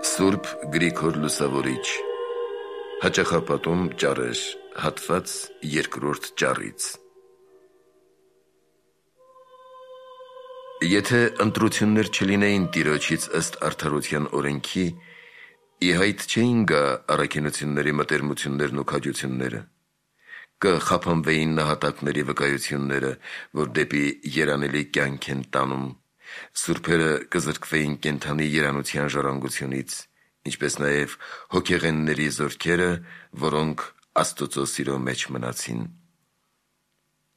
Սուրբ Գրիգոր Լուսավորիչ Հաճախապատում ճառեր հատված երկրորդ ճառից Եթե ընտրություններ չլինեին Տիրոջից ըստ արդարության օրենքի, ի հայտ չէին գա առաքինությունների մտերմություններն ու քաջությունները, կխափանվեին նահատակների վկայությունները, որ դեպի երանելի կյանք են տանում, սուրբերը կզրկվեին կենդանի երանության ժառանգությունից, ինչպես նաև հոգեղենների զորքերը, որոնք Աստծո սիրո մեջ մնացին։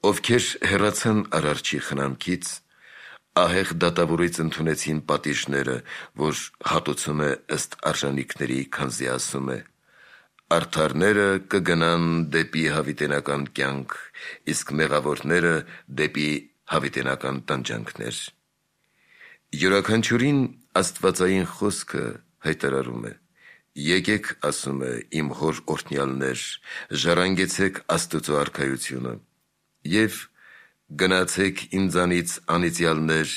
Ովքեր հեռացան Արարչի խնամքից, ահեղ դատավորից ընդունեցին պատիժները, որ հատուցում է ըստ արժանիքների, քանզի ասում է. «Արդարները կգնան դեպի հավիտենական կյանք, իսկ մեղավորները դեպի հավիտենական տանջանքներ»։ Յուրաքանչյուրին աստվածային խոսքը հայտարարում է. «Եկեք, ասում է, իմ հոր օրհնյալներ, ժառանգեցեք Աստծո արքայությունը և գնացեք ինձանից անիծյալներ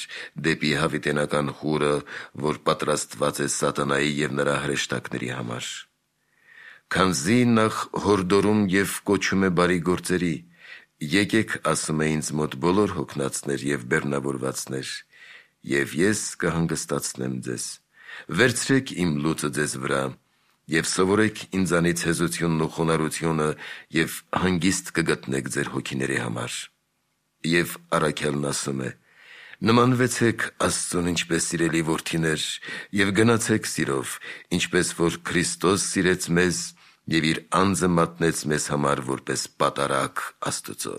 դեպի հավիտենական խուրը, որ պատրաստված է սատանայի և նրա հրեշտակների համար։ Քանզի նախ հորդորում և կոչում է բարի գործերի, եկեք, ասում է, ինձ մոտ բոլոր հոգնածներ և բեռնավորվածներ, և ես կհանգստացնեմ ձեզ։ Վերցրեք իմ լուծը ձեզ վրա և սովորեք ինձանից հեզությունն ու խոնարհությունը և հանգիստ կգտնեք ձեր հոգիների համար»։ Եվ առաքյալն ասում է. «Նմանվեցեք Աստծուն ինչպես սիրելի որդիներ և գնացեք սիրով, ինչպես որ Քրիստոս սիրեց մեզ և իր անձը մատնեց մեզ համար որպես պատարագ Աստծո»։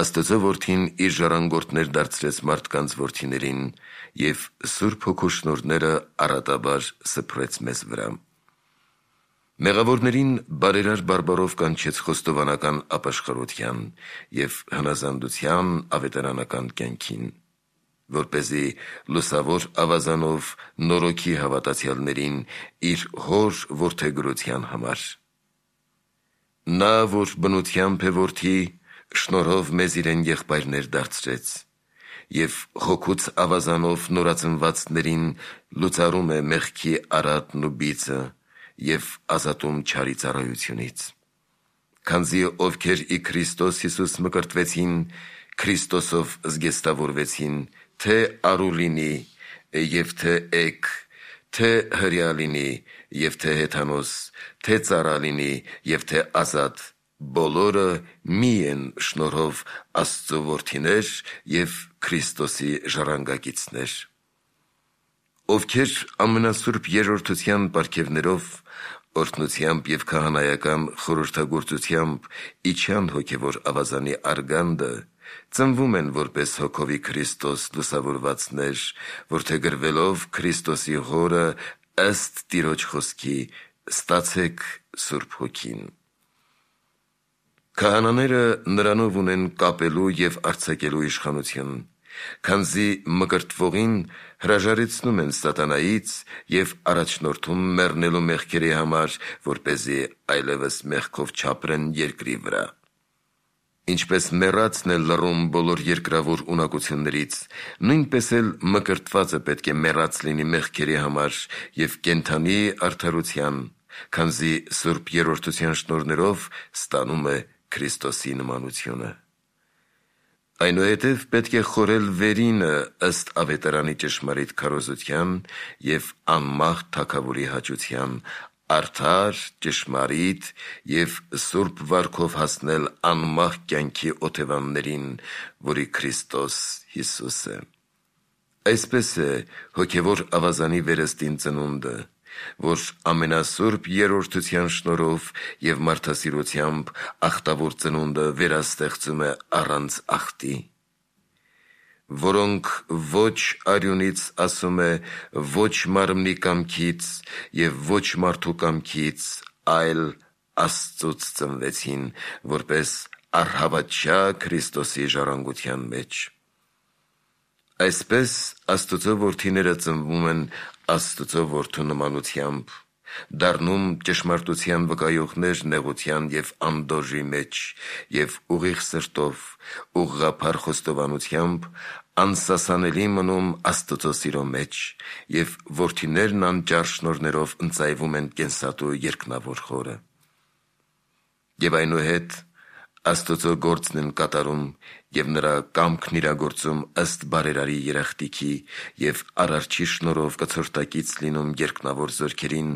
Աստծո Որդին իր ժառանգորդներ դարձրեց մարդկանց որդիներին և Սուրբ Հոգու շնորհները առատաբար սփռեց մեզ վրա։ Մեղավորներին բարերար բարբառով կանչեց խոստովանական ապաշխարության և հնազանդության ավետարանական կյանքին, որպեսզի լուսավոր ավազանով նորոգի հավատացյալներին իր հոր որդեգրության համար։ Նա, որ բնությամբ է որդի, շնորհով մեզ իրեն եղբայրներ դարձրեց և հոգուց ավազանով նորածնվածներին լուծարում է մեղքի արատն ու բիծը և ազատում չարի ծառայությունից։ Քանզի ովքեր ի Քրիստոս Հիսուս մկրտվեցին, Քրիստոսով զգեստավորվեցին, թե արու լինի և թե էգ, թե հրեա լինի և թե հեթանոս, թե ծառա լինի և թե ազատ, բոլորը մի են շնորհով Աստծո որդիներ և Քրիստոսի ժառանգակիցներ։ Ովքեր ամենասուրբ երրորդության պարգևներով, օրհնությամբ և քահանայական խորհրդագործությամբ իջան հոգևոր ավազանի արգանդը, ծնվում են որպես հոգովի Քրիստոս լուսավորվածներ, որդեգրվելով Քրիստոսի հորը ըստ Տիրոջ խոսքի, ստացեք Սուրբ Հոգին։ Քահանաները նրանով ունեն կապելու և արձակելու իշխանություն, քանզի մկրտվողին հրաժարեցնում են սատանայից և առաջնորդում մեռնելու մեղքերի համար, որպեսզի այլևս մեղքով չապրեն երկրի վրա։ Ինչպես մեռածն է լռում բոլոր երկրավոր ունակություններից, նույնպես էլ մկրտվածը պետք է մեռած լինի մեղքերի համար և կենդանի արդարության, քանզի սուրբ երրորդության շնորհներով ստանում է Քրիստոսի նմանությունը։ Այնուհետև պետք է խորել վերինը ըստ ավետարանի ճշմարիտ քարոզության և անմահ թագավորի հաճության, արդար, ճշմարիտ և սուրբ վարքով հասնել անմահ կյանքի օթևաններին, որի Քրիստոս Հիսուս է։ Այսպես է հոգևոր ավազանի վերստին ծնունդը, որ ամենասուրբ երրորդության շնորհով և մարդասիրությամբ ախտավոր ծնունդը վերաստեղծում է առանց ախտի, որոնք ոչ արյունից, ասում է, ոչ մարմնի կամքից և ոչ մարդու կամքից, այլ Աստծուց ծնվեցին, որպես առհավատչա Քրիստոսի ժառանգության մեջ։ Այսպես Աստծո որդիները ծնվում են Աստծո որդու նմանությամբ, դառնում ճշմարտության վկայողներ նեղության և անդորրի մեջ և ուղիղ սրտով, ուղղափառ խոստովանությամբ անսասանելի մնում Աստծո սիրո մեջ, եւ որդիներն անճար շնորներով ընծայվում են կենսատու երկնավոր խորը։ Եվ այնուհետ Աստծո գործն են կատարում եւ նրա կամքն իրագործում ըստ բարերարի երախտիքի եւ արարչի շնորհով կցորդակից լինում երկնավոր զորքերին,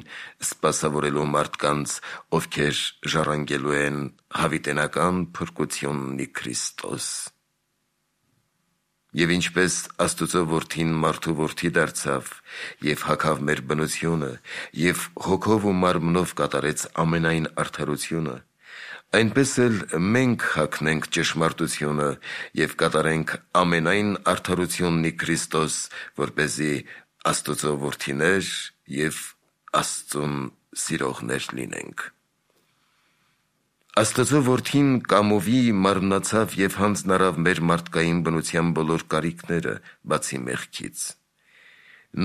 սպասավորելու մարդկանց, ովքեր ժառանգելու են հավիտենական փրկությունն ի Քրիստոս։ Եվ ինչպես Աստծո որդին մարդու որդի դարձավ եւ հագավ մեր բնությունը եւ հոգով ու մարմնով կատարեց ամենայն արդարությունը, այնպես էլ մենք հագնենք ճշմարտությունը եւ կատարենք ամենայն արդարությունն ի Քրիստոս, որպեսզի Աստծո որդիներ եւ Աստծուն սիրողներ լինենք։ Աստծո որդին կամովի մարմնացավ եւ հանձնարավ մեր մարդկային բնության բոլոր կարիքները, բացի մեղքից։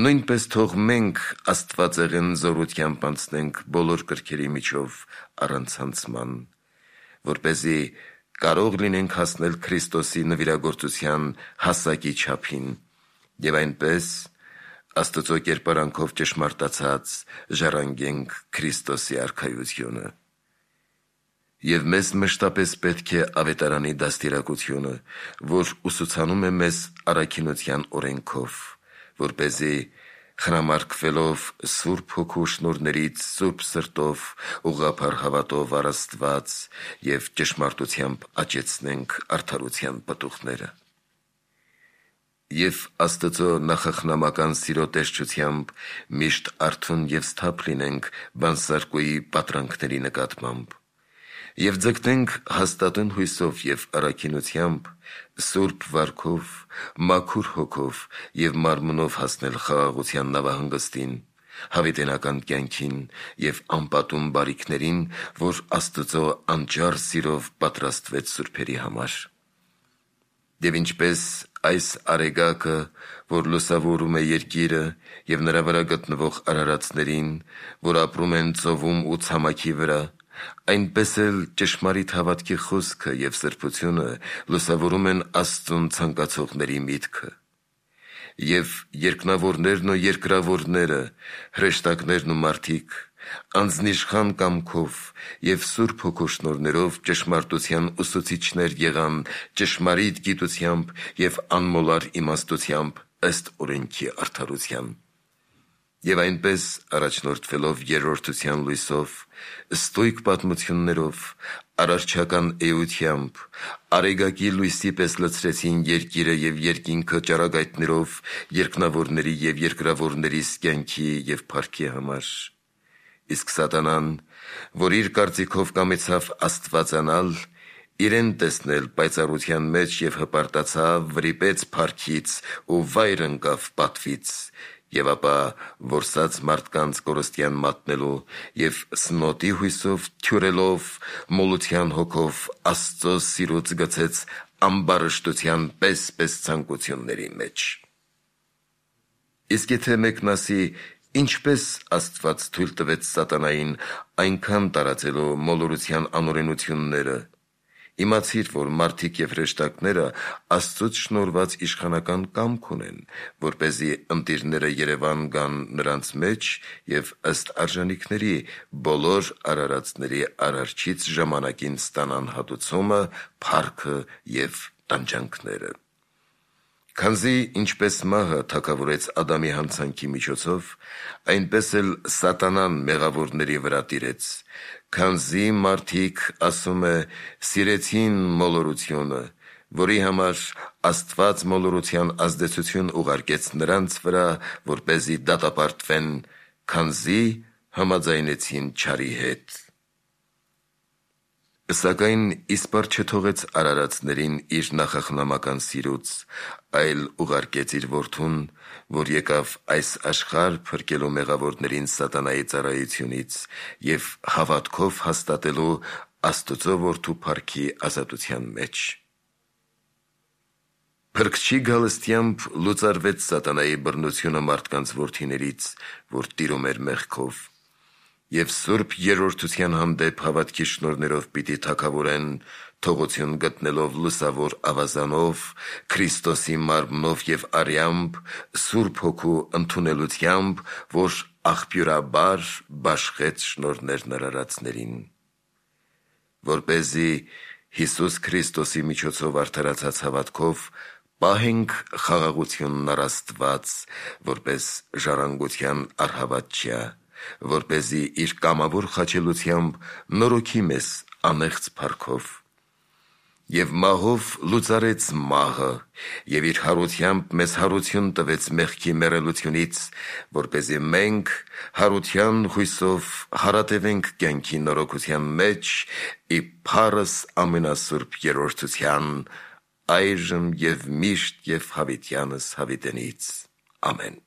Նույնպես թող մենք աստվածեղեն զորությամբ անցնենք բոլոր կրքերի միջով առանց հանցման, որպեսզի կարող լինենք հասնել Քրիստոսի նվիրագործության հասակի չափին եւ այնպես Աստծո կերպարանքով ճշմարտացած ժառանգենք Քրիստոսի արքայությունը։ Եվ մեզ մշտապես պետք է ավետարանի դաստիարակությունը, որ ուսուցանում է մեզ առաքինության օրենքով, որպեսզի խնամարկվելով Սուրբ Հոգու շնորհներից սուրբ սրտով, ուղղափառ հավատով առ Աստված եւ ճշմարտությամբ աճեցնենք արդարության պտուղները։ Եվ Աստծո նախախնամական սիրո տեսչությամբ միշտ արթուն եւ սթափ լինենք բանսարկուի պատրանքների նկատմամբ եւ ձգտենք հաստատուն հույսով եւ առաքինությամբ սուրբ վարքով, մաքուր հոգով եւ մարմնով հասնել խաղաղության նավահանգստին, հավիտենական կյանքին եւ անպատում բարիքներին, որ Աստծո անճար սիրով պատրաստվեց սուրբերի համար։ Եվ ինչպես այս արեգակը, որ լուսավորում է երկիրը եւ նրա վրա գտնվող արարածներին, որ ապրում են ծովում ու ցամաքի վրա, այնպես էլ ճշմարիտ հավատքի խոսքը եւ սրբությունը լուսավորում են Աստծուն ցանկացողների միտքը։ Եվ երկնավորներն ու երկրավորները, հրեշտակներն ու մարդիկ, անձնիշխան կամքով եւ Սուրբ Հոգու շնորհներով ճշմարտության ուսուցիչներ եղան ճշմարիտ գիտությամբ եւ անմոլար իմաստությամբ ըստ օրենքի արդարության։ Եվ այնպես առաջնորդվելով երրորդության լույսով, ստույգ պատմություններով, արարչական էությամբ, արեգակի լույսի պես լցրեցին երկիրը եւ երկինքը ճառագայթներով երկնավորների եւ երկրավորների կյանքի եւ փառքի համար։ Իսկ Սատանան, որ իր կարծիքով կամեցավ աստվածանալ, իրեն տեսնել պայծառության մեջ եւ հպարտացավ, վրիպեց փառքից ու վայր ընկավ պատվից, եւ ապա որսած մարդկանց կորստյան մատնելու եւ սնոտի հույսով թյուրելով մոլության հոգով Աստծո սիրուց գցեց ամբարշտության պես ցանկությունների մեջ։ Իսկ եթե մեկն ասի, ինչպես Աստված թույլ տվեց Սատանային այնքան տարածելու մոլորության անօրենությունները, իմացիր, որ մարդիկ եւ հրեշտակները Աստծուց շնորհված իշխանական կամք ունեն, որպեսզի ընտիրները Երևան գան նրանց մեջ եւ ըստ արժանիքների բոլոր արարածների արարչից ժամանակին ստանան հատուցումը, փառքը եւ տանջանքները։ Քանզի ինչպես մահը թագավորեց Ադամի հանցանքի միջոցով, այնպես էլ Սատանան մեղավորների վրա տիրեց, քանզի մարդիկ, ասում է, սիրեցին մոլորությունը, որի համար Աստված մոլորության ազդեցություն ուղարկեց նրանց վրա, որպեսզի դատապարտվեն, քանզի համաձայնեցին չարի հետ։ Սակայն իսպառ չթողեց արարածներին իր նախախնամական սիրուց, այլ ուղարկեց իր որդուն, որ եկավ այս աշխարհ փրկելու մեղավորներին Սատանայի ծառայությունից եւ հավատքով հաստատելու Աստծո որդու փառքի ազատության մեջ։ Փրկչի գալստյամբ լուծարվեց Սատանայի բռնությունը մարդկանց որդիներից, որ տիրում էր մեղքով, եւ Սուրբ Երրորդության հանդեպ հավատքի շնորհներով պիտի թագավորեն, թողություն գտնելով լուսավոր ավազանով, Քրիստոսի մարմնով և արյամբ, Սուրբ Հոգու ընդունելությամբ, որ աղբյուրաբար բաշխեց շնորհներն արարածներին, որպեսզի Հիսուս Քրիստոսի միջոցով արդարացած հավատքով պահենք խաղաղությունն առ Աստված, որպես ժառանգության առհավատչյա, որպեսզի իր կամավոր խաչելությամբ նորոգի մեզ անեղծ փառքով, և մահով լուծարեց մահը, և իր հարությամբ մեզ հարություն տվեց մեղքի մեռելությունից, որպեսզի մենք հարության հույսով հարատևենք կյանքի նորոգության մեջ, ի փառս ամենասուրբ երրորդության, այժմ և միշտ և հավիտյանս հավիտենից, ամեն։